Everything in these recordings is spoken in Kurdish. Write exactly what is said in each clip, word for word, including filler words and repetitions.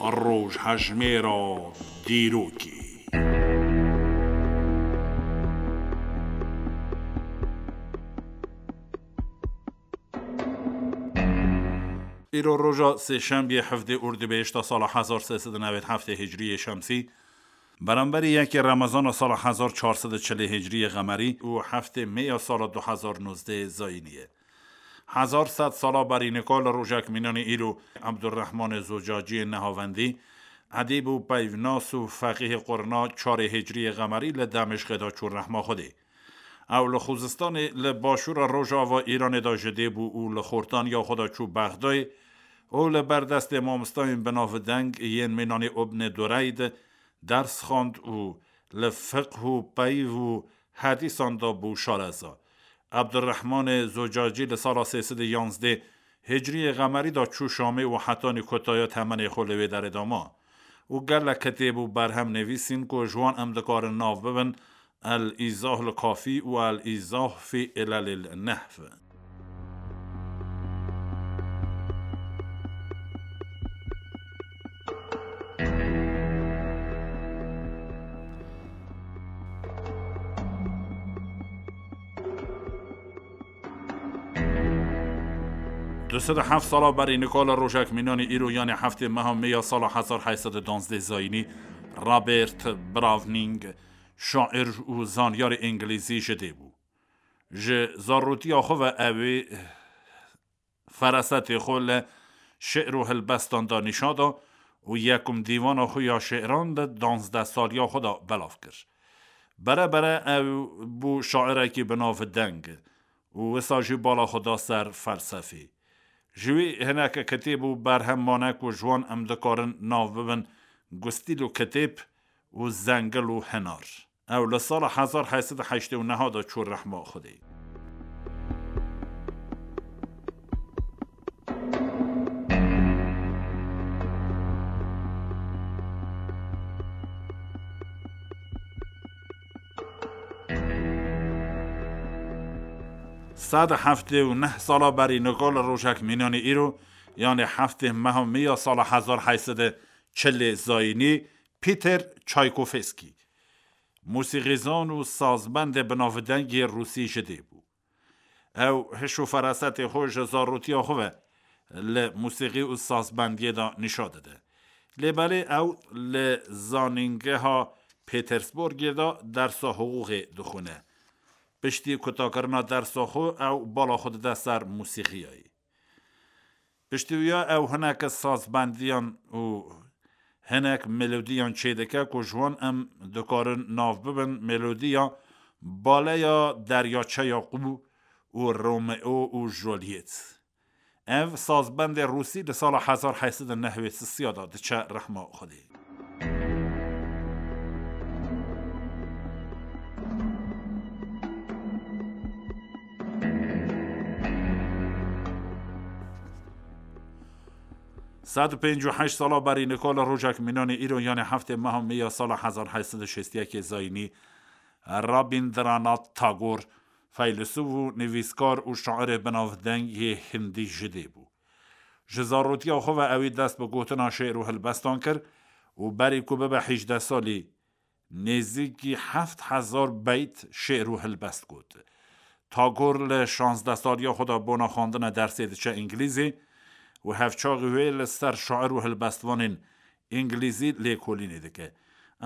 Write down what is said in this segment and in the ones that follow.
Rojhejmêra dîrokê. Îro roja sêşembiyê heftê Ordubêhişta sala hezar sê sed û newêd heftê Hicriyê Şemsî, beramberî yekê Remezana sala hezar çar sed û çilê Hicriyê Qemerî û heftê Meya sala du hezar nozdeh Zayînî ye. Hezar sed sala berî nika li rojek mînanî îro Ebdurrehmanê Zocaciyê Nehavendî, edîb û peyvnas û feqîhê qurna çarê Hicriyê Qemerî li Demişqê de çû rehma Xwedê. Ew li Xuzistanê li başûra rojava Îranê de ji dê bû û li xortaniya xwe de çû Bexdayê û li ber destê mamostayên binavdeng yên mînanî Ibnê Dureyd ders xwend û li fiqh û peyv û hedîsan de bû şareza. Ebdurrehmanê Zocacî li sala sê sed û yanzdeh Hicriyê Qemerî de çû Şamê û hetanî kotaya temenê xwe li wê derê de ma û gelek kitêb û berhem nivîsîn ku ji wan em dikarin nav bibin El-Îzah li Kafî û El-Îzah fî Îlelîl Nehv. Du sed û heft sala berî nika li rojek mînanî îro, yanê heftê meha Meya sala hezar heyt sed û duwazdeh Zayînî, Robert Browning, şair û zanyarê îngilîzî ji dê bû. Ji zarotiya xwe ve ewê ferasetê xwe li şi'r û hilbestan de nîşan da û yekum dîwana xwe ya şi'ran di duwazdeh saliya xwe de belav kir. Bere bere ew bû şairekî bi navdeng û wisa jî bala xwe da ser felsefê. Ji wî hineke kitêb û berhem mane ku ji wan em dikarin nav bibin Gustîl û Kitêb û Zengil û Hinar. Ew li sala hezar heyt sed û heştê û neh de çû rehma Xwedê. Sed û heftê û neh sala berî nika li rojek mînanî îro, yanê heftê meha Meya sala hezar heyt sed û çilê Zayînî, Peter Çaykovskî, mûsîqîzan û sazbendê binavdeng yê Rûsî ji dê bû. Ew hiş û ferasetê xwe ji zarotiya xwe ve li mûsîqî û sazbendiyê de nîşan dide. Lê belê ew li Zanîngeha Petersburgê de dersa hiqûqê dixwine. Piştî kutakirina dersa xwe ew bala xwe dide ser mûsîqiyayê. Piştî wiya ew hineke sazbendiyan û hinek melodiyan çêdike ku ji wan em dikarin nav bibin melodiya Baleya Deryaçeya Qû û Romeo û Juliet. Ev sazbendê Rûsî li sala hezar heyt sed û nehwêd sisiya de diçe rehma Xwedê. Sed û pêncî û heşt sala berî nika li rojek mînanê îro, yanê heftê meha Meya sala hezar heyt sed û şêst û yekê Zayînî, Rabîndranath Tagor, feylesûf û nivîskar û şairê binavdeng yê hindî ji dê bû. Ji zarotiya xwe ve ewî dest bi gotina şê'r û hilbestan kir û berî ku bibe hîjdeh salî, nêzîkî heft hezar beyt şê'r û hilbest got. Tagor li şazdeh saliya xwe de bona xwendina dersê diçe îngilîzî û hevçaxî wê li ser şair û hilbestvanên îngilîzî lêkolînê dike.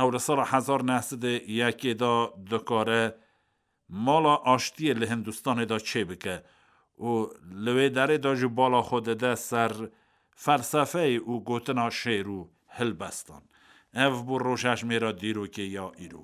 Ew li sala hezar neh sed û yekê de dikare Mala Aştiyê li Hindistanê de çêbike û li wê derê de jî bala xwe dide ser felsefeyê û gotina şê'r û hilbestan. Ev bû rojhejmêra dîrokê ya îro.